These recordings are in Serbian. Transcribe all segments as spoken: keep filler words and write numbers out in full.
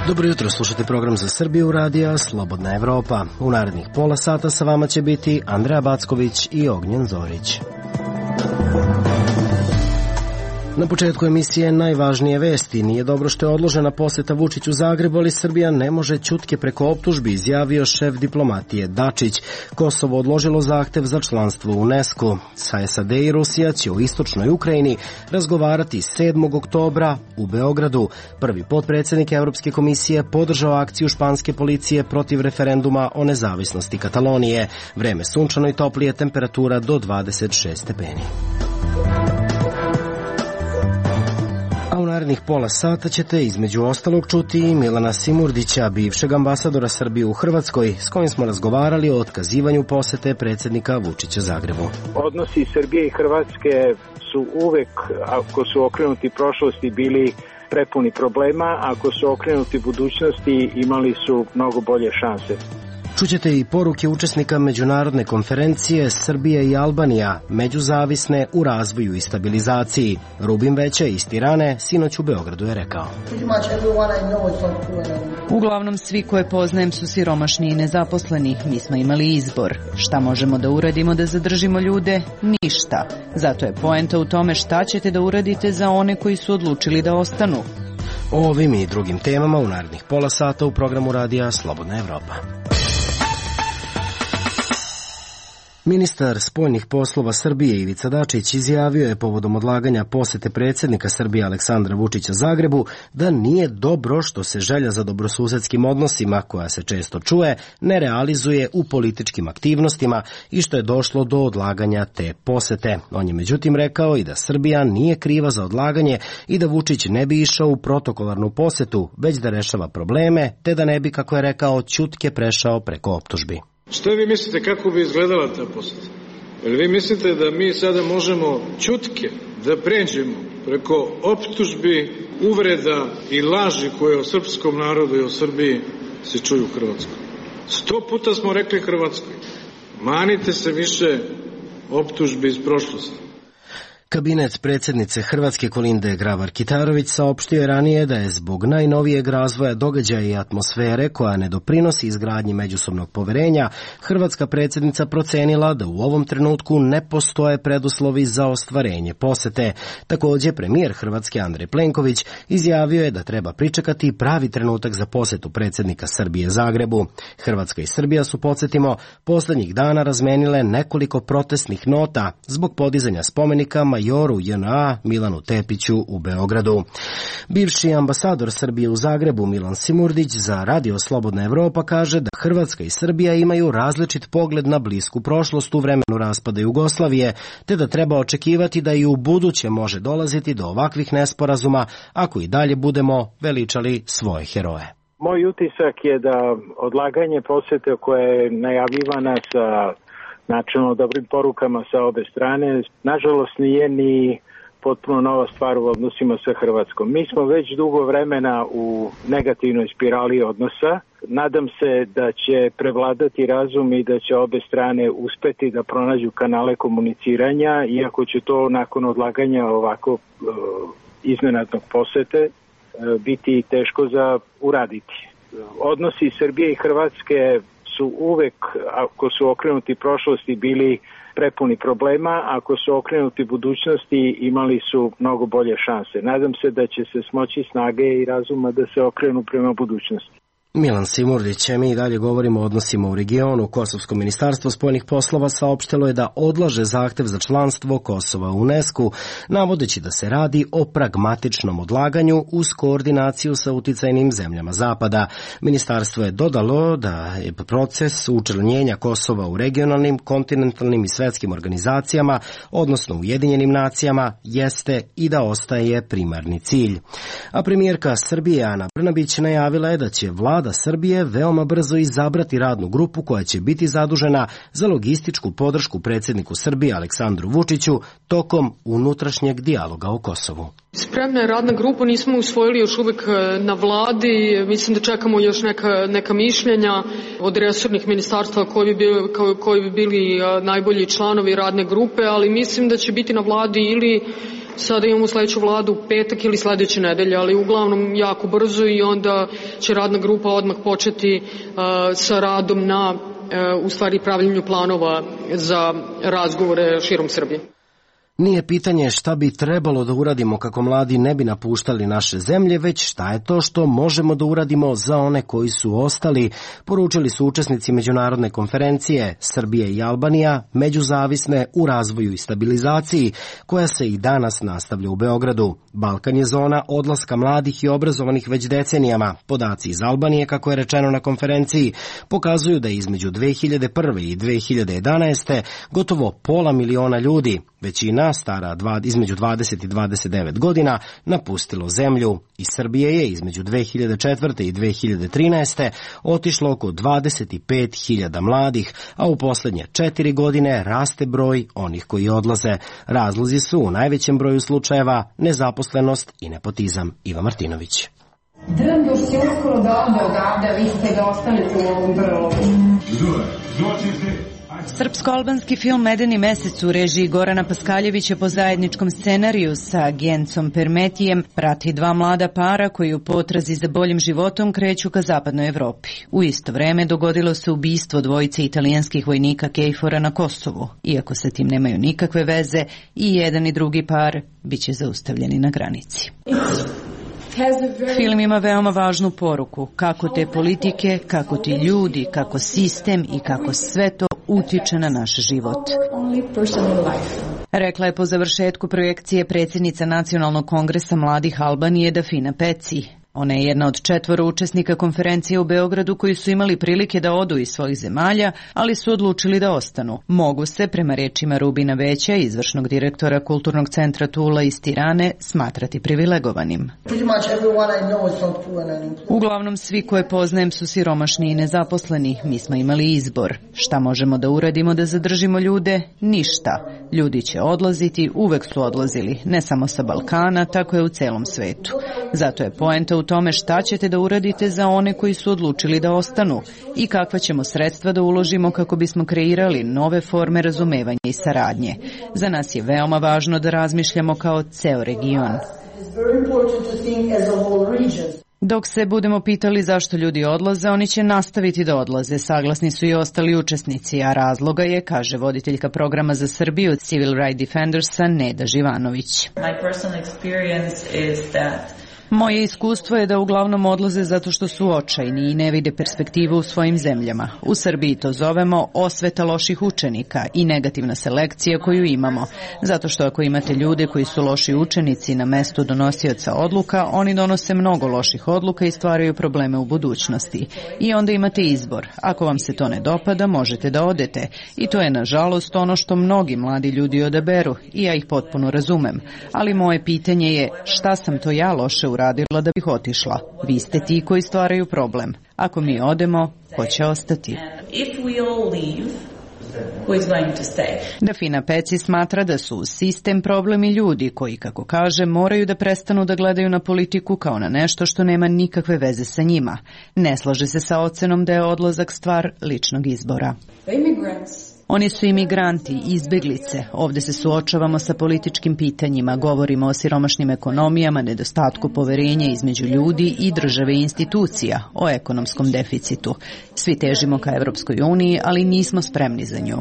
Dobro jutro, slušate program za Srbiju radija Slobodna Evropa. U narednih pola sata sa vama će biti Andreja Backović i Ognjen Zorić. Na početku emisije najvažnije vesti. Nije dobro što je odložena poseta Vučiću Zagrebu, ali Srbija ne može ćutke preko optužbi, izjavio šef diplomatije Dačić. Kosovo odložilo zahtev za članstvo u UNESCO. Sa S A D i Rusija će u istočnoj Ukrajini razgovarati sedmog oktobra u Beogradu. Prvi potpredsjednik Evropske komisije podržao akciju španske policije protiv referenduma o nezavisnosti Katalonije. Vreme sunčano i toplije, temperatura do dvadeset šest stepeni. A u narednih pola sata ćete između ostalog čuti i Milana Simurdića, bivšeg ambasadora Srbije u Hrvatskoj, s kojim smo razgovarali o otkazivanju posete predsjednika Vučića Zagrebu. Odnosi Srbije i Hrvatske su uvek, ako su okrenuti prošlosti, bili prepuni problema, ako su okrenuti budućnosti, imali su mnogo bolje šanse. Čućete i poruke učesnika međunarodne konferencije Srbija i Albanija, međuzavisne u razvoju i stabilizaciji. Rubin Veće iz Tirane sinoć u Beogradu je rekao: Uglavnom svi koje poznajem su siromašni i nezaposleni. Mi smo imali izbor. Šta možemo da uradimo da zadržimo ljude? Ništa. Zato je poenta u tome šta ćete da uradite za one koji su odlučili da ostanu. O ovim i drugim temama u narednih pola sata u programu radija Slobodna Evropa. Ministar spoljnih poslova Srbije Ivica Dačić izjavio je povodom odlaganja posete predsjednika Srbije Aleksandra Vučića Zagrebu da nije dobro što se želja za dobrosusedskim odnosima, koja se često čuje, ne realizuje u političkim aktivnostima i što je došlo do odlaganja te posete. On je međutim rekao i da Srbija nije kriva za odlaganje i da Vučić ne bi išao u protokolarnu posetu, već da rešava probleme, te da ne bi, kako je rekao, ćutke prešao preko optužbi. Što vi mislite kako bi izgledala ta poseta? Jer vi mislite da mi sada možemo ćutke da pređemo preko optužbi, uvreda i laži koje o srpskom narodu i o Srbiji se čuju u Hrvatskoj? Sto puta smo rekli Hrvatskoj, manite se više optužbi iz prošlosti. Kabinet predsjednice Hrvatske Kolinde Grabar-Kitarović saopštio je ranije da je zbog najnovijeg razvoja događaja i atmosfere koja ne doprinosi izgradnji međusobnog poverenja, hrvatska predsjednica procenila da u ovom trenutku ne postoje preduslovi za ostvarenje posete. Također, premijer Hrvatske Andrej Plenković izjavio je da treba pričekati pravi trenutak za posetu predsjednika Srbije Zagrebu. Hrvatska i Srbija su, podsjetimo, posljednjih dana razmenile nekoliko protestnih nota zbog podizanja spomenika majoru J N A Milanu Tepiću u Beogradu. Bivši ambasador Srbije u Zagrebu Milan Simurdić za Radio Slobodna Evropa kaže da Hrvatska i Srbija imaju različit pogled na blisku prošlost u vremenu raspada Jugoslavije, te da treba očekivati da i u buduće može dolaziti do ovakvih nesporazuma ako i dalje budemo veličali svoje heroje. Moj utisak je da odlaganje posete koja je najavljivana sa načelno dobrim porukama sa obe strane, nažalost nije ni potpuno nova stvar u odnosima sa Hrvatskom. Mi smo već dugo vremena u negativnoj spirali odnosa. Nadam se da će prevladati razum i da će obe strane uspeti da pronađu kanale komuniciranja, iako će to nakon odlaganja ovako uh, iznenadnog posete uh, biti teško za uraditi. Odnosi Srbije i Hrvatske su uvek, ako su okrenuti prošlosti, bili prepuni problema, ako su okrenuti budućnosti, imali su mnogo bolje šanse. Nadam se da će se smoći snage i razuma da se okrenu prema budućnosti. Milan Simurdić, mi i dalje govorimo o odnosima u regionu. Kosovsko ministarstvo spoljnih poslova saopštilo je da odlaže zahtev za članstvo Kosova u UNESCO, navodeći da se radi o pragmatičnom odlaganju uz koordinaciju sa uticajnim zemljama Zapada. Ministarstvo je dodalo da je proces učlanjenja Kosova u regionalnim, kontinentalnim i svetskim organizacijama, odnosno Ujedinjenim nacijama, jeste i da ostaje primarni cilj. A premijerka Srbije Ana Brnabić najavila je da će vlada Srbije veoma brzo izabrati radnu grupu koja će biti zadužena za logističku podršku predsjedniku Srbije Aleksandru Vučiću tokom unutrašnjeg dijaloga o Kosovu. Spremna je radna grupa, nismo usvojili još uvijek na vladi, mislim da čekamo još neka, neka mišljenja od resornih ministarstva koji bi, bili, koji bi bili najbolji članovi radne grupe, ali mislim da će biti na vladi ili Sada imamo sledeću vladu u petak ili sledeće nedelje, ali uglavnom jako brzo i onda će radna grupa odmah početi uh, sa radom na uh, u stvari pravljenju planova za razgovore širom Srbije. Nije pitanje šta bi trebalo da uradimo kako mladi ne bi napuštali naše zemlje, već šta je to što možemo da uradimo za one koji su ostali, poručili su učesnici međunarodne konferencije Srbije i Albanija, međuzavisne u razvoju i stabilizaciji, koja se i danas nastavlja u Beogradu. Balkan je zona odlaska mladih i obrazovanih već decenijama. Podaci iz Albanije, kako je rečeno na konferenciji, pokazuju da je između dve hiljade prve i dve hiljade jedanaeste. gotovo pola miliona ljudi, većina stara dva, između dvadeset i dvadeset devet godina, napustilo zemlju. Iz Srbije je između dve hiljade četvrte i dve hiljade trinaeste. otišlo oko dvadeset pet hiljada mladih, a u poslednje četiri godine raste broj onih koji odlaze. Razlozi su u najvećem broju slučajeva nezaposlenost i nepotizam. Iva Martinović. Drnduš će uskoro da ode odavde, vi ste ga ostali u ovom brlogu. Srpsko-albanski film Medeni mesec u režiji Gorana Paskaljevića po zajedničkom scenariju sa Gencom Permetijem prati dva mlada para koji u potrazi za boljim životom kreću ka zapadnoj Evropi. U isto vreme dogodilo se ubistvo dvojice italijanskih vojnika Kejfora na Kosovu. Iako sa tim nemaju nikakve veze, i jedan i drugi par biće zaustavljeni na granici. Film ima veoma važnu poruku, kako te politike, kako ti ljudi, kako sistem i kako sve to utiče na naš život. Rekla je po završetku projekcije predsjednica Nacionalnog kongresa mladih Albanije Dafina Peci. Ona je jedna od četvoro učesnika konferencije u Beogradu koji su imali prilike da odu iz svojih zemalja, ali su odlučili da ostanu. Mogu se, prema rečima Rubina Veća, izvršnog direktora Kulturnog centra Tula iz Tirane, smatrati privilegovanim. Uglavnom svi koje poznajem su siromašni i nezaposleni. Mi smo imali izbor. Šta možemo da uradimo da zadržimo ljude? Ništa. Ljudi će odlaziti, uvek su odlazili, ne samo sa Balkana, tako je u celom svetu. Zato je poenta u tome šta ćete da uradite za one koji su odlučili da ostanu i kakva ćemo sredstva da uložimo kako bismo kreirali nove forme razumevanja i saradnje. Za nas je veoma važno da razmišljamo kao ceo region. Dok se budemo pitali zašto ljudi odlaze, oni će nastaviti da odlaze. Saglasni su i ostali učesnici, a razloga je, kaže voditeljka programa za Srbiju Civil Rights Defendersa Neda Živanović. My personal experience is that Moje iskustvo je da uglavnom odlaze zato što su očajni i ne vide perspektivu u svojim zemljama. U Srbiji to zovemo osveta loših učenika i negativna selekcija koju imamo. Zato što ako imate ljude koji su loši učenici na mestu donosioca odluka, oni donose mnogo loših odluka i stvaraju probleme u budućnosti. I onda imate izbor. Ako vam se to ne dopada, možete da odete. I to je nažalost ono što mnogi mladi ljudi odaberu i ja ih potpuno razumem. Ali moje pitanje je šta sam to ja loše uradila da bih otišla. Vi ste ti koji stvaraju problem. Ako mi odemo, ko će ostati? Dafina Peci smatra da su sistem, problem i ljudi koji, kako kaže, moraju da prestanu da gledaju na politiku kao na nešto što nema nikakve veze sa njima. Ne slaže se sa ocenom da je odlazak stvar ličnog izbora. Oni su imigranti, izbeglice. Ovde se suočavamo sa političkim pitanjima, govorimo o siromašnim ekonomijama, nedostatku poverenja između ljudi i države i institucija, o ekonomskom deficitu. Svi težimo ka Evropskoj uniji, ali nismo spremni za nju.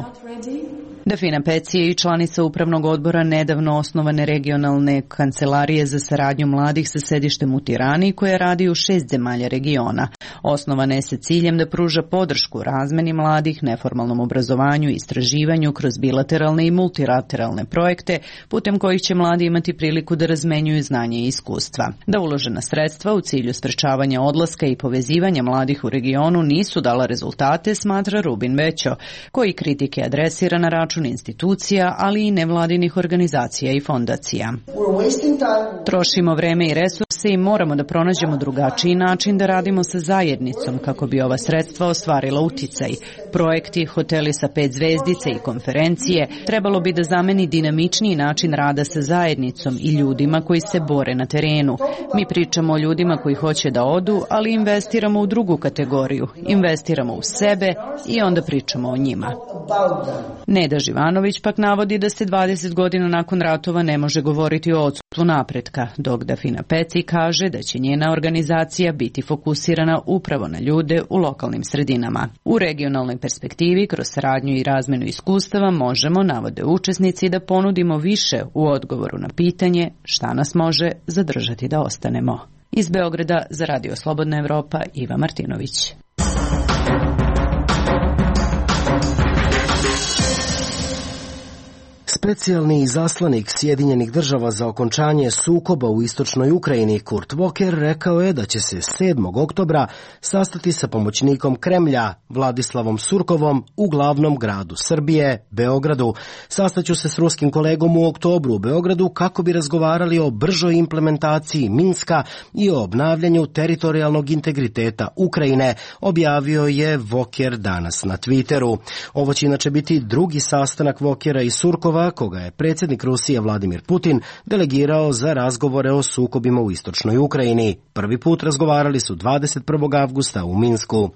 Dafina Peci je i članica upravnog odbora nedavno osnovane regionalne kancelarije za saradnju mladih sa sedištem u Tirani koja radi u šest zemalja regiona. Osnovana je sa ciljem da pruža podršku razmeni mladih, neformalnom obrazovanju i istraživanju kroz bilateralne i multilateralne projekte putem kojih će mladi imati priliku da razmenjuju znanje i iskustva. Da uložena sredstva u cilju sprečavanja odlaska i povezivanja mladih u regionu nisu dala rezultate, smatra Rubin Većo, koji kritike adresira na račun institucija, ali i nevladinih organizacija i fondacija. Trošimo vreme i resurse i moramo da pronađemo drugačiji način da radimo sa zajednicom kako bi ova sredstva ostvarila uticaj. Projekti, hoteli sa pet zvezdice i konferencije trebalo bi da zameni dinamičniji način rada sa zajednicom i ljudima koji se bore na terenu. Mi pričamo o ljudima koji hoće da odu, ali investiramo u drugu kategoriju. Investiramo u sebe i onda pričamo o njima. Neda Živanović pak navodi da se dvadeset godina nakon ratova ne može govoriti o odsustvu napretka, dok Dafina Peci kaže da će njena organizacija biti fokusirana upravo na ljude u lokalnim sredinama. U regionalnoj perspektivi, kroz saradnju i razmenu iskustava, možemo, navode učesnici, da ponudimo više u odgovoru na pitanje šta nas može zadržati da ostanemo. Iz Beograda za Radio Slobodna Evropa, Iva Martinović. Specijalni izaslanik Sjedinjenih država za okončanje sukoba u istočnoj Ukrajini Kurt Volker rekao je da će se sedmog oktobra sastati sa pomoćnikom Kremlja Vladislavom Surkovom u glavnom gradu Srbije, Beogradu. Sastaću se s ruskim kolegom u oktobru u Beogradu kako bi razgovarali o bržoj implementaciji Minska i o obnavljanju teritorijalnog integriteta Ukrajine, objavio je Volker danas na Twitteru. Ovo će inače biti drugi sastanak Volkera i Surkova, koga je predsjednik Rusije Vladimir Putin delegirao za razgovore o sukobima u istočnoj Ukrajini. Prvi put razgovarali su dvadeset prvog avgusta u Minsku.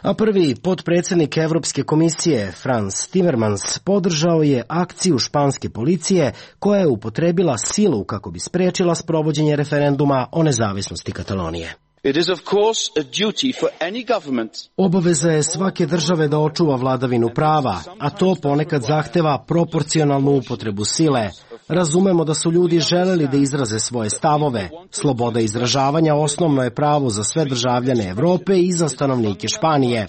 A prvi potpredsjednik Evropske komisije Frans Timmermans podržao je akciju španske policije koja je upotrebila silu kako bi spriječila sprovođenje referenduma o nezavisnosti Katalonije. It is of course a duty for any government. Obaveza je svake države da očuva vladavinu prava, a to ponekad zahteva proporcionalnu upotrebu sile. Razumemo da su ljudi želeli da izraze svoje stavove. Sloboda izražavanja osnovno je pravo za sve državljane Evrope i za stanovnike Španije.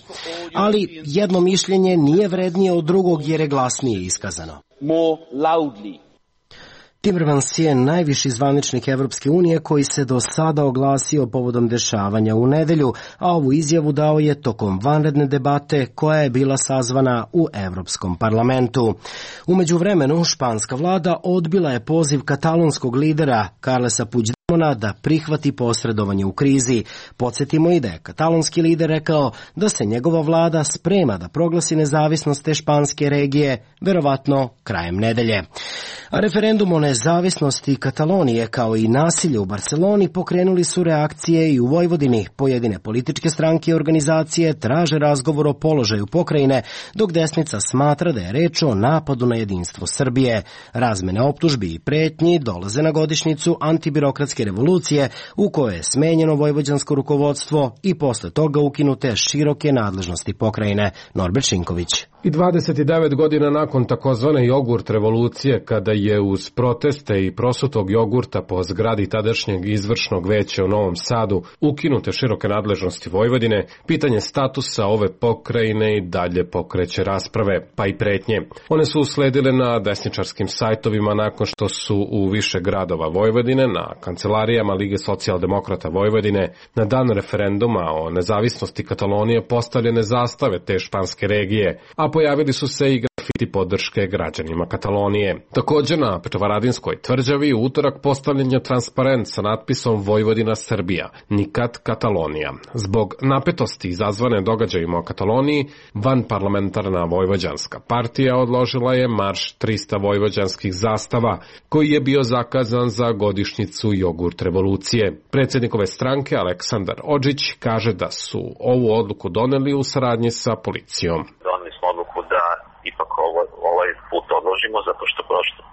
Ali jedno mišljenje nije vrednije od drugog jer je glasnije iskazano. More loudly. Timmermans je najviši zvaničnik Evropske unije koji se do sada oglasio povodom dešavanja u nedelju, a ovu izjavu dao je tokom vanredne debate koja je bila sazvana u Evropskom parlamentu. U međuvremenu, španska vlada odbila je poziv katalonskog lidera Carlesa Puigdemona da prihvati posredovanje u krizi. Podsjetimo i da je katalonski lider rekao da se njegova vlada sprema da proglasi nezavisnost te španske regije, verovatno krajem nedelje. A referendum o nezavisnosti Katalonije kao i nasilje u Barceloni pokrenuli su reakcije i u Vojvodini. Pojedine političke stranke i organizacije traže razgovor o položaju pokrajine, dok desnica smatra da je reč o napadu na jedinstvo Srbije. Razmene optužbi i pretnji dolaze na godišnjicu antibirokratske revolucije u kojoj je smenjeno vojvođansko rukovodstvo i posle toga ukinute široke nadležnosti pokrajine. Norbert Šinković. I dvadeset devet godina nakon takozvane jogurt revolucije, kada je uz proteste i prosutog jogurta po zgradi tadašnjeg izvršnog veća u Novom Sadu ukinute široke nadležnosti Vojvodine, pitanje statusa ove pokrajine i dalje pokreće rasprave, pa i pretnje. One su usledile na desničarskim sajtovima nakon što su u više gradova Vojvodine, na kancelarijama Lige socijaldemokrata Vojvodine, na dan referenduma o nezavisnosti Katalonije postavljene zastave te španske regije, a pojavili su se i grafiti podrške građanima Katalonije. Također na Petrovaradinskoj tvrđavi u utorak postavljen je transparent sa natpisom Vojvodina Srbija, nikad Katalonija. Zbog napetosti izazvane događajima o Kataloniji, vanparlamentarna vojvođanska partija odložila je marš trista vojvođanskih zastava, koji je bio zakazan za godišnjicu jogurt revolucije. Predsjednik ove stranke Aleksandar Odžić kaže da su ovu odluku doneli u saradnji sa policijom. Odluku da ipak ovo, ovaj put odložimo zato što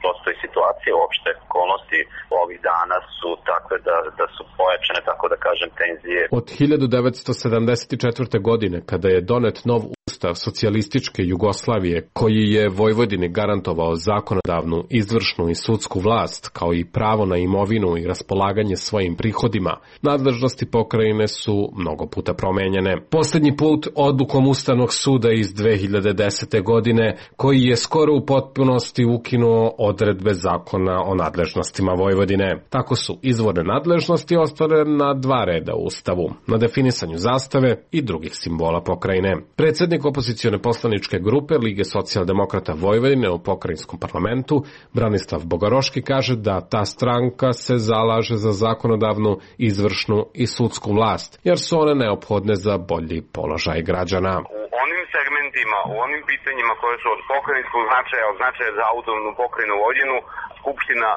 prosto i situacija, uopšte okolnosti ovih dana su takve da, da su pojačane, tako da kažem, tenzije. Od hiljadu devetsto sedamdeset četvrte. godine, kada je donet nov Ustav socijalističke Jugoslavije, koji je Vojvodini garantovao zakonodavnu, izvršnu i sudsku vlast, kao i pravo na imovinu i raspolaganje svojim prihodima, nadležnosti pokrajine su mnogo puta promenjene. Posljednji put odlukom Ustavnog suda iz dve hiljade desete. godine, koji je skoro u potpunosti ukinuo odredbe zakona o nadležnostima Vojvodine. Tako su izvorne nadležnosti ostale na dva reda u Ustavu, na definisanju zastave i drugih simbola pokrajine. Predsjednik opozicione poslaničke grupe Lige socijaldemokrata Vojvodine u pokrajinskom parlamentu, Branislav Bogaroški, kaže da ta stranka se zalaže za zakonodavnu, izvršnu i sudsku vlast, jer su one neophodne za bolji položaj građana. U onim segmentima, u onim pitanjima koje su od pokrajinskog značaja, od značaja za autonomnu pokrajinu Vojvodinu, Skupština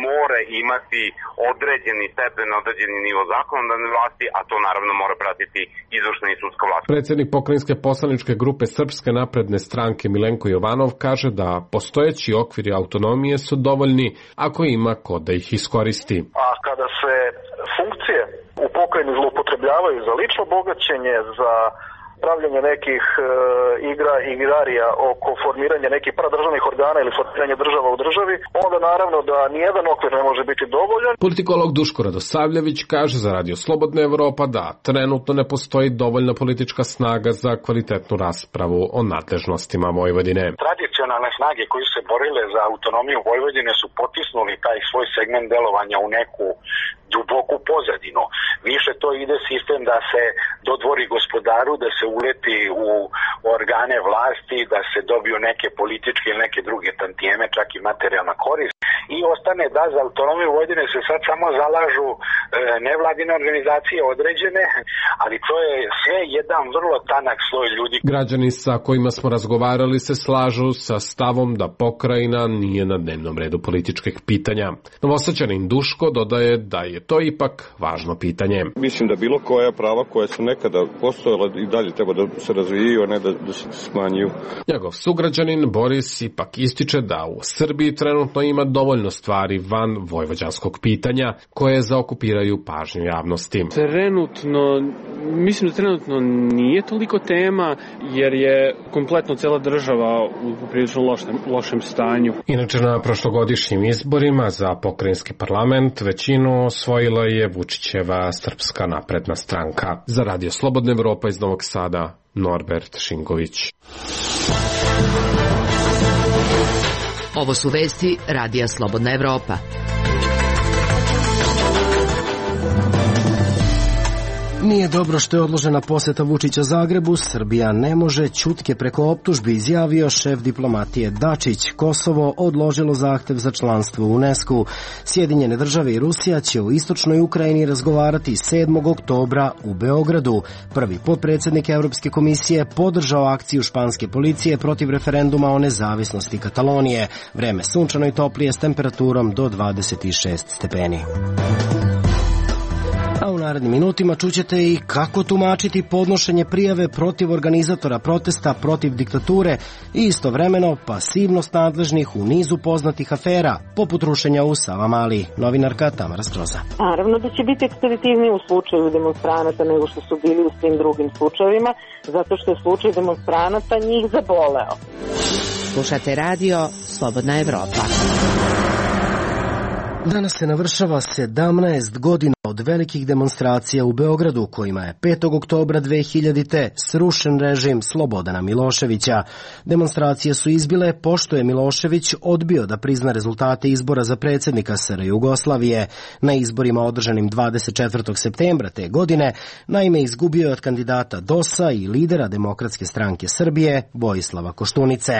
mora imati određeni stepen, određeni nivo zakonodavne vlasti, a to naravno mora pratiti izvršna i sudska vlast. Predsednik pokrajinske poslaničke grupe Srpske napredne stranke Milenko Jovanov kaže da postojeći okviri autonomije su dovoljni ako ima ko da ih iskoristi. A kada se funkcije u pokrajini zloupotrebljavaju za lično bogaćenje, za pravljanje nekih e, igra igrarija oko formiranja nekih paradržavnih organa ili formiranja država u državi, onda naravno da nijedan okvir ne može biti dovoljan. Politikolog Duško Radosavljević kaže za Radio Slobodna Evropa da trenutno ne postoji dovoljna politička snaga za kvalitetnu raspravu o nadležnostima Vojvodine. Tradicionalne snage koje su se borile za autonomiju Vojvodine su potisnuli taj svoj segment delovanja u neku duboku pozadinu. Više to ide sistem da se dodvori gospodaru, da se uleti u organe vlasti, da se dobiju neke političke ili neke druge tantijeme, čak i materijalna korist. I ostane da za autonomiju Vojvodine se sad samo zalažu e, nevladine organizacije određene, ali to je sve jedan vrlo tanak sloj ljudi. Građani sa kojima smo razgovarali se slažu sa stavom da pokrajina nije na dnevnom redu političkih pitanja. Novosađanin Duško dodaje da je to ipak važno pitanje. Mislim da bilo koja prava koja su nekada postojala i dalje treba da se razvijaju, a ne da, da se smanjuju. Njegov sugrađanin Boris ipak ističe da u Srbiji trenutno ima dovoljno stvari van vojvođanskog pitanja koje zaokupiraju pažnju javnosti. Trenutno, mislim da trenutno nije toliko tema jer je kompletno cela država u prilično lošem, lošem stanju. Inače na prošlogodišnjim izborima za pokrajinski parlament većinu osvojila je Vučićeva Srpska napredna stranka. Za Radio Slobodna Evropa iz Novog Sada, Norbert Šingović. Ovo su vesti Radija Slobodna Evropa. Nije dobro što je odložena poseta Vučića Zagrebu. Srbija ne može ćutke preko optužbi, izjavio šef diplomatije Dačić. Kosovo odložilo zahtev za članstvo u UNESCO. Sjedinjene države i Rusija će u istočnoj Ukrajini razgovarati sedmog oktobra u Beogradu. Prvi potpredsjednik Evropske komisije podržao akciju španske policije protiv referenduma o nezavisnosti Katalonije. Vreme sunčano i toplije s temperaturom do dvadeset šest stepeni. A u narednim minutima čućete i kako tumačiti podnošenje prijave protiv organizatora protesta protiv diktature i istovremeno pasivnost nadležnih u nizu poznatih afera, poput rušenja u Savamali. Novinarka Tamara Stroza. Naravno da će biti ekspeditivniji u slučaju demonstranata nego što su bili u svim drugim slučajevima, zato što je slučaj demonstranata njih zaboleo. Slušate radio Slobodna Evropa. Danas se navršava sedamnaest godina od velikih demonstracija u Beogradu, kojima je petog oktobra dve hiljadite srušen režim Slobodana Miloševića. Demonstracije su izbile pošto je Milošević odbio da prizna rezultate izbora za predsjednika S R Jugoslavije. Na izborima održanim dvadeset četvrtog septembra te godine, naime izgubio je od kandidata D O S-a i lidera Demokratske stranke Srbije, Vojislava Koštunice.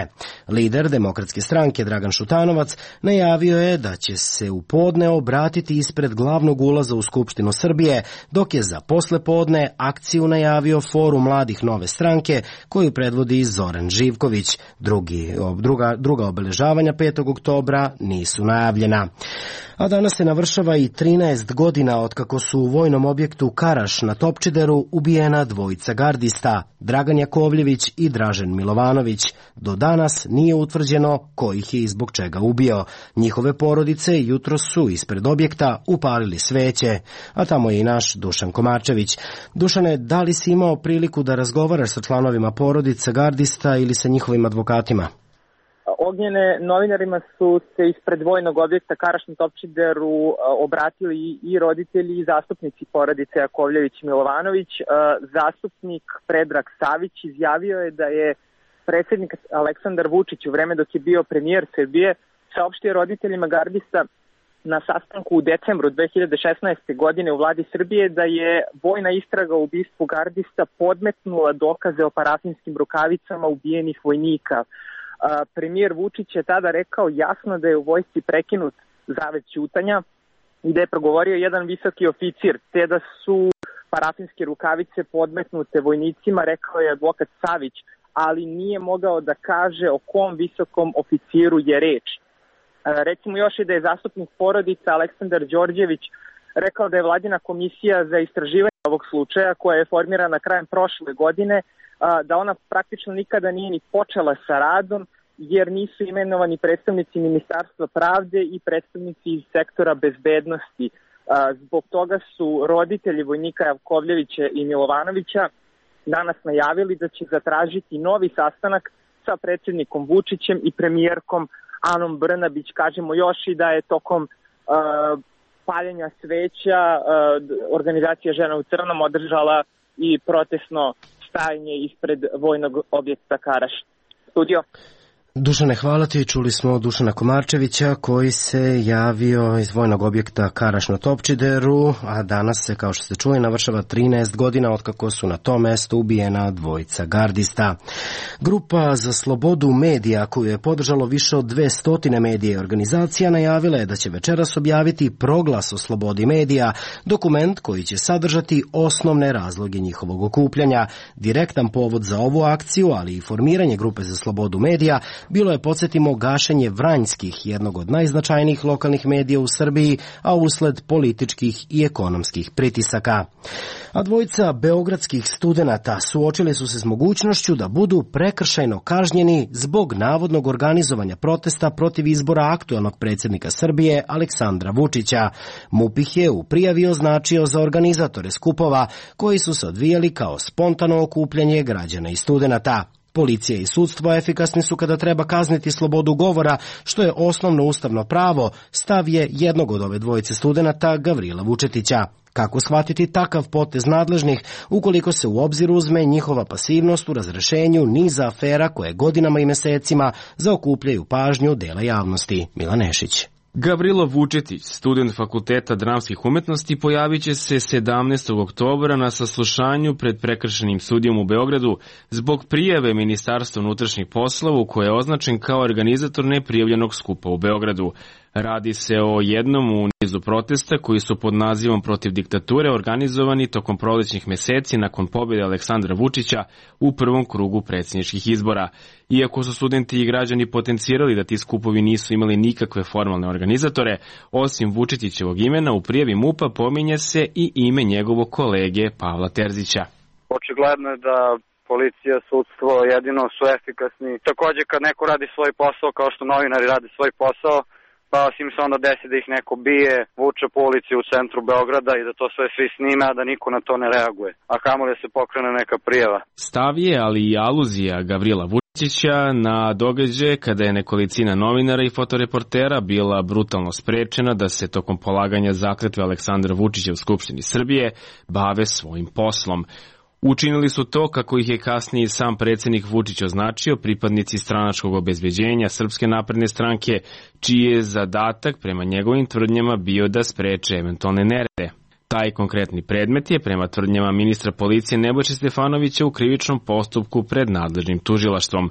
Lider Demokratske stranke Dragan Šutanovac najavio je da će se u podne obratiti ispred glavnog ulaza u Skupštinu Srbije, dok je za poslepodne akciju najavio Forum mladih Nove stranke, koju predvodi Zoran Živković. Drugi, druga, druga obeležavanja petog oktobra nisu najavljena. A danas se navršava i trinaest godina od kako su u vojnom objektu Karaš na Topčideru ubijena dvojica gardista, Dragan Jakovljević i Dražen Milovanović. Do danas nije utvrđeno ko ih je i zbog čega ubio. Njihove porodice jutro su ispred objekta upalili sveće, a tamo je i naš Dušan Komarčević. Dušane, da li si imao priliku da razgovaraš sa članovima porodica gardista ili sa njihovim advokatima? Ognjene, novinarima su se ispred vojnog objekta Karaš na Topčideru obratili i roditelji i zastupnici porodice Jakovljević i Milovanović. Zastupnik Predrag Savić izjavio je da je predsjednik Aleksandar Vučić u vreme dok je bio premijer Srbije saopštio roditeljima gardista na sastanku u decembru dve hiljade šesnaeste. godine u vladi Srbije da je vojna istraga o ubistvu gardista podmetnula dokaze o parafinskim rukavicama ubijenih vojnika. Premijer Vučić je tada rekao jasno da je u vojsci prekinut zavet ćutanja i da je progovorio jedan visoki oficir, te da su parafinske rukavice podmetnute vojnicima, rekao je advokat Savić, ali nije mogao da kaže o kom visokom oficiru je reč. Recimo još i da je zastupnik porodica Aleksandar Đorđević rekao da je vladina komisija za istraživanje ovog slučaja, koja je formirana krajem prošle godine, da ona praktično nikada nije ni počela sa radom, jer nisu imenovani predstavnici Ministarstva pravde i predstavnici iz sektora bezbednosti. Zbog toga su roditelji vojnika Javkovljevića i Milovanovića danas najavili da će zatražiti novi sastanak sa predsjednikom Vučićem i premijerkom Anom Brnabić. Kažemo još i da je tokom uh, paljenja sveća uh, organizacija Žena u crnom održala i protestno stajanje ispred vojnog objekta Karaš. Studio. Dušane, hvala ti. Čuli smo Dušana Komarčevića koji se javio iz vojnog objekta Karaš na Topčideru, a danas se, kao što ste čuli, navršava trinaest godina otkako su na tom mestu ubijena dvojica gardista. Grupa za slobodu medija, koju je podržalo više od dvesta medija i organizacija, najavila je da će večeras objaviti proglas o slobodi medija, dokument koji će sadržati osnovne razloge njihovog okupljanja. Direktan povod za ovu akciju, ali i formiranje grupe za slobodu medija, bilo je, podsjetimo, gašenje Vranjskih, jednog od najznačajnijih lokalnih medija u Srbiji, a usled političkih i ekonomskih pritisaka. A dvojica beogradskih studenata suočili su se s mogućnošću da budu prekršajno kažnjeni zbog navodnog organizovanja protesta protiv izbora aktuelnog predsjednika Srbije Aleksandra Vučića. MUP ih je u prijavi označio za organizatore skupova koji su se odvijali kao spontano okupljanje građana i studenata. Policija i sudstvo efikasni su kada treba kazniti slobodu govora, što je osnovno ustavno pravo, stav je jednog od ove dvojice studenata, Gavrila Vučetića. Kako shvatiti takav potez nadležnih ukoliko se u obzir uzme njihova pasivnost u razrešenju niza afera koje godinama i mesecima zaokupljaju pažnju dela javnosti? Milan Nešić. Gavrilo Vučetić, student Fakulteta dramskih umetnosti, pojavit će se sedamnaestog oktobra na saslušanju pred prekršajnim sudijom u Beogradu zbog prijave Ministarstva unutrašnjih poslova u koje je označen kao organizator neprijavljenog skupa u Beogradu. Radi se o jednom u nizu protesta koji su pod nazivom protiv diktature organizovani tokom prolećnih meseci nakon pobjede Aleksandra Vučića u prvom krugu predsjedničkih izbora. Iako su studenti i građani potencirali da ti skupovi nisu imali nikakve formalne organizatore, osim Vučetićevog imena u prijavi MUP-a pominje se i ime njegovog kolege Pavla Terzića. Očigledno je da policija, sudstvo jedino su efikasni. Također kad neko radi svoj posao kao što novinari rade svoj posao, pa osim se onda desi da ih neko bije, vuče po ulici u centru Beograda i da to sve svi snime, a da niko na to ne reaguje. A kamoli da se pokrene neka prijava. Stav je, ali i aluzija Gavrila Vučića na događaje kada je nekolicina novinara i fotoreportera bila brutalno sprečena da se tokom polaganja zakletve Aleksandra Vučića u Skupštini Srbije bave svojim poslom. Učinili su to, kako ih je kasnije sam predsjednik Vučić označio, pripadnici stranačkog obezbeđenja Srpske napredne stranke, čiji je zadatak prema njegovim tvrdnjama bio da spreče eventualne nerede. Taj konkretni predmet je, prema tvrdnjama ministra policije Nebojše Stefanovića, u krivičnom postupku pred nadležnim tužilaštvom.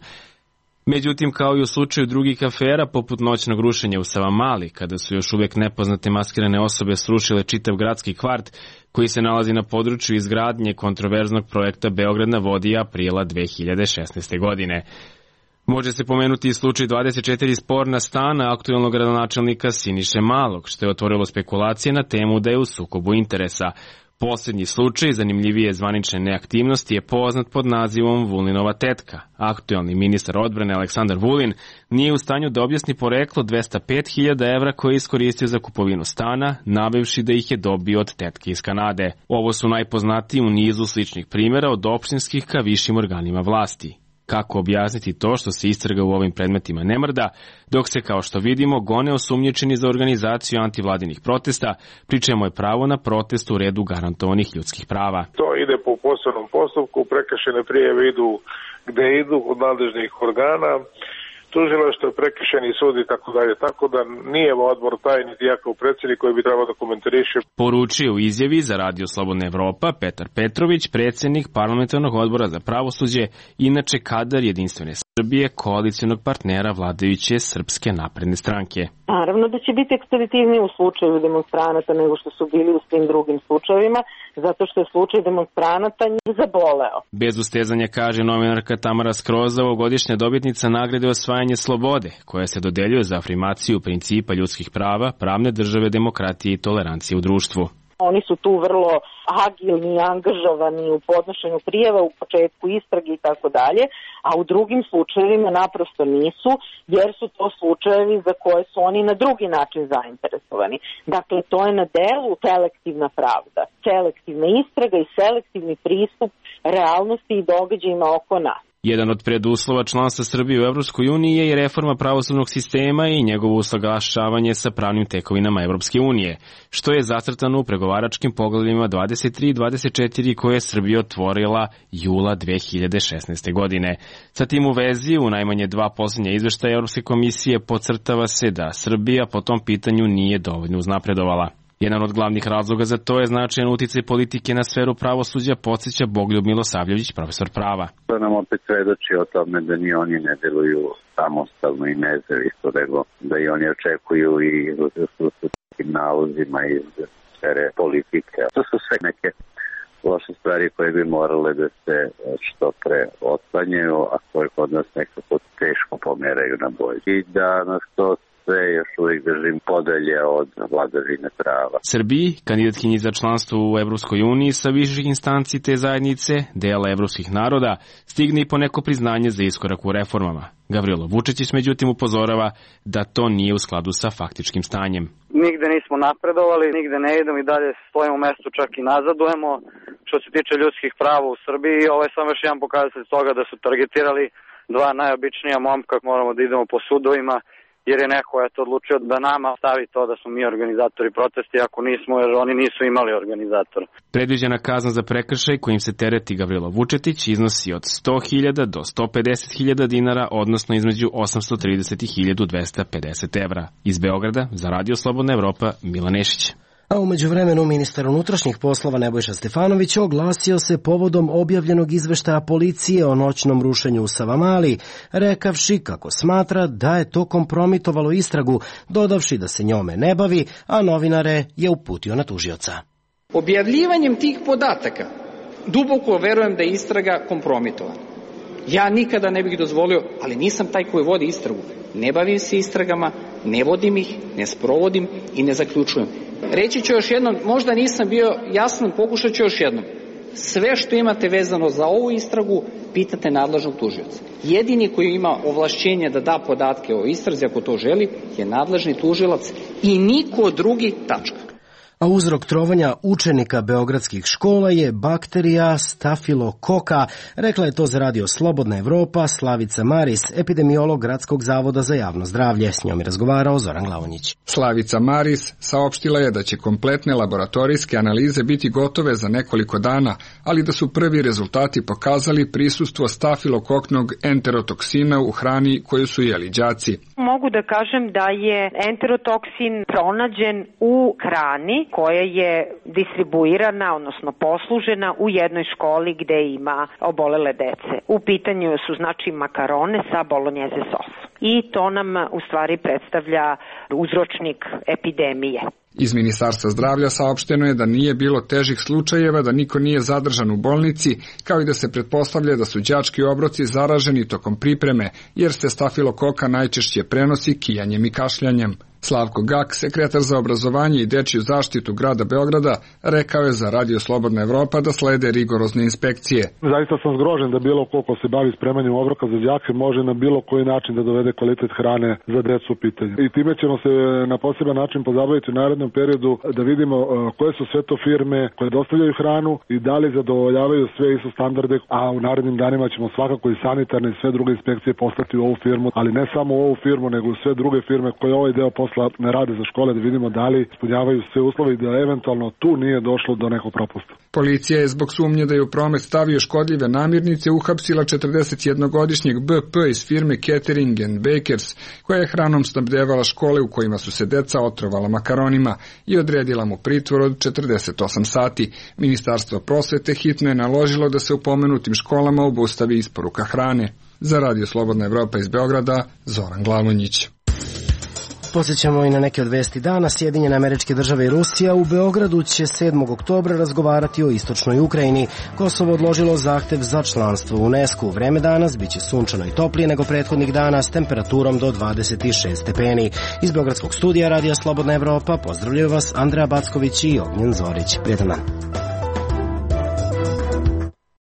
Međutim, kao i u slučaju drugih afera, poput noćnog rušenja u Savamali, kada su još uvijek nepoznate maskirane osobe srušile čitav gradski kvart, koji se nalazi na području izgradnje kontroverznog projekta Beograd na vodi aprila dve hiljade šesnaeste. godine. Može se pomenuti i slučaj dvadeset četiri sporna stana aktuelnog gradonačelnika Siniše Malog, što je otvorilo spekulacije na temu da je u sukobu interesa. Posljednji slučaj, zanimljivije zvanične neaktivnosti, je poznat pod nazivom Vulinova tetka. Aktuelni ministar odbrane Aleksandar Vulin nije u stanju da objasni poreklo dvesta pet hiljada evra koje je iskoristio za kupovinu stana, navevši da ih je dobio od tetke iz Kanade. Ovo su najpoznatiji u nizu sličnih primjera od opštinskih ka višim organima vlasti. Kako objasniti to što se istraga u ovim predmetima ne mrda, dok se, kao što vidimo, gone osumnjičeni za organizaciju antivladinih protesta, pri čemu je pravo na protest u redu garantovanih ljudskih prava. To ide po posebnom postupku, prekršajne prijave idu gde idu od nadležnih organa. tužilaštvo, prekršajni sud i tako dalje. Tako da nije odbor taj, niti ja kao predsjednik koji bi trebao da komentariše. Poručio u izjavi za Radio Slobodna Evropa Petar Petrović, predsjednik parlamentarnog odbora za pravosuđe, inače kadar Jedinstvene Srbije, koalicionog partnera vladajuće Srpske napredne stranke. Naravno da će biti ekspeditivniji u slučaju demonstranata nego što su bili u svim drugim slučajevima, zato što je slučaj demonstranata njih zaboleo. Bez ustezanja, kaže novinarka Tamara Skroza, ovogodišnja dobitnica nagrade Osvajanje slobode, koja se dodeljuje za afirmaciju principa ljudskih prava, pravne države, demokratije i tolerancije u društvu. Oni su tu vrlo agilni i angažovani u podnošenju prijava, u početku istrage i tako dalje, a u drugim slučajevima naprosto nisu, jer su to slučajevi za koje su oni na drugi način zainteresovani. Dakle, to je na delu selektivna pravda, selektivna istraga i selektivni pristup realnosti i događajima oko nas. Jedan od preduslova članstva Srbije u Evropskoj uniji je i reforma pravosudnog sistema i njegovo usaglašavanje sa pravnim tekovinama Evropske unije, što je zacrtano u pregovaračkim poglavljima dvadeset tri i dvadeset četiri koje je Srbija otvorila jula dve hiljade šesnaeste. godine. Sa tim u vezi, u najmanje dva posljednja izveštaja Evropske komisije podcrtava se da Srbija po tom pitanju nije dovoljno uznapredovala. Jedan od glavnih razloga za to je značajan uticaj politike na sferu pravosuđa, podsjeća Bogoljub Milosavljević, profesor prava. To nam opet svedoči o tome da ni oni ne deluju samostalno i nezavisno, nego da i oni očekuju i su sa tim nalozima iz sfere politike. To su sve neke loše stvari koje bi morale da se što pre otklanjaju, a koje kod nas nekako teško pomeraju na bolje. I da nas to sve još uvijek držim podalje od vladavine prava. Srbiji, kandidatkinji za članstvo u Evropskoj uniji sa viših instanci te zajednice, dela evropskih naroda, stigne i poneko priznanje za iskorak u reformama. Gavrilo Vučić međutim upozorava da to nije u skladu sa faktičkim stanjem. Nigde nismo napredovali, nigde ne idemo i dalje stojimo u mestu, čak i nazadujemo. Što se tiče ljudskih prava u Srbiji, ovo je samo još jedan pokazatelj toga da su targetirali dva najobičnija momka, moramo da idemo po sudovima, jer je neko eto odlučio da nama stavi to da smo mi organizatori protesti, ako nismo, jer oni nisu imali organizatora. Predviđena kazna za prekršaj kojim se tereti Gavrilo Vučetić iznosi od sto hiljada do sto pedeset hiljada dinara, odnosno između osamsto trideset i hiljadu dvesta pedeset evra. Iz Beograda, za Radio Slobodna Evropa, Milan Nešić. A umeđu vremenu ministar unutrašnjih poslova Nebojša Stefanović oglasio se povodom objavljenog izveštaja policije o noćnom rušenju u Savamali, rekavši kako smatra da je to kompromitovalo istragu, dodavši da se njome ne bavi, a novinare je uputio na tužioca. Objavljivanjem tih podataka duboko verujem da je istraga kompromitovana. Ja nikada ne bih dozvolio, ali nisam taj koji vodi istragu. Ne bavim se istragama, ne vodim ih, ne sprovodim i ne zaključujem. Reći ću još jednom, možda nisam bio jasan, pokušat ću još jednom. Sve što imate vezano za ovu istragu, pitate nadležnog tužioca. Jedini koji ima ovlašćenje da da podatke o istrazi, ako to želi, je nadležni tužilac i niko drugi, tačka. A uzrok trovanja učenika beogradskih škola je bakterija stafilokoka, rekla je to za Radio Slobodna Evropa Slavica Maris, epidemiolog Gradskog zavoda za javno zdravlje. S njom je razgovarao Zoran Glavonjić. Slavica Maris saopštila je da će kompletne laboratorijske analize biti gotove za nekoliko dana, ali da su prvi rezultati pokazali prisustvo stafilokoknog enterotoksina u hrani koju su jeli đaci. Mogu da kažem da je enterotoksin pronađen u hrani koja je distribuirana, odnosno poslužena u jednoj školi gde ima obolele dece. U pitanju su znači makarone sa bolonjeze sosom. I to nam u stvari predstavlja uzročnik epidemije. Iz Ministarstva zdravlja saopšteno je da nije bilo težih slučajeva, da niko nije zadržan u bolnici, kao i da se pretpostavlja da su đački obroci zaraženi tokom pripreme, jer se stafilokoka najčešće prenosi kijanjem i kašljanjem. Slavko Gak, sekretar za obrazovanje i dečiju zaštitu grada Beograda, rekao je za Radio Slobodna Evropa da slede rigorozne inspekcije. Zaista sam zgrožen da bilo ko ko se bavi spremanjem obroka za đake može na bilo koji način da dovede kvalitet hrane za decu u pitanju. I time ćemo se na poseban način pozabaviti u narednom periodu da vidimo koje su sve to firme koje dostavljaju hranu i da li zadovoljavaju sve I S O standarde, a u narednim danima ćemo svakako i sanitarne i sve druge inspekcije poslati u ovu firmu, ali ne samo u ovu firmu, nego u sve druge firme koje ovaj deo posla posla, ne rade za škole, da vidimo da li ispunjavaju sve uslove i da eventualno tu nije došlo do nekog propusta. Policija je zbog sumnje da je u promet stavio škodljive namirnice uhapsila četrdesetjednogodišnjeg B P iz firme Catering and Bakers, koja je hranom snabdevala škole u kojima su se deca otrovala makaronima i odredila mu pritvor od četrdeset osam sati. Ministarstvo prosvete hitno je naložilo da se u pomenutim školama obustavi isporuka hrane. Za Radio Slobodna Evropa iz Beograda, Zoran Glavonjić. Posjećamo i na neke od vesti dana. Sjedinjene Američke Države i Rusija u Beogradu će sedmog oktobra razgovarati o istočnoj Ukrajini. Kosovo odložilo zahtev za članstvo u UNESCO. Vreme danas biće sunčano i toplije nego prethodnih dana s temperaturom do dvadeset šest stepeni. Iz Beogradskog studija Radija Slobodna Evropa pozdravljaju vas Andreja Backović i Ognjen Zorić. Prijetan dan.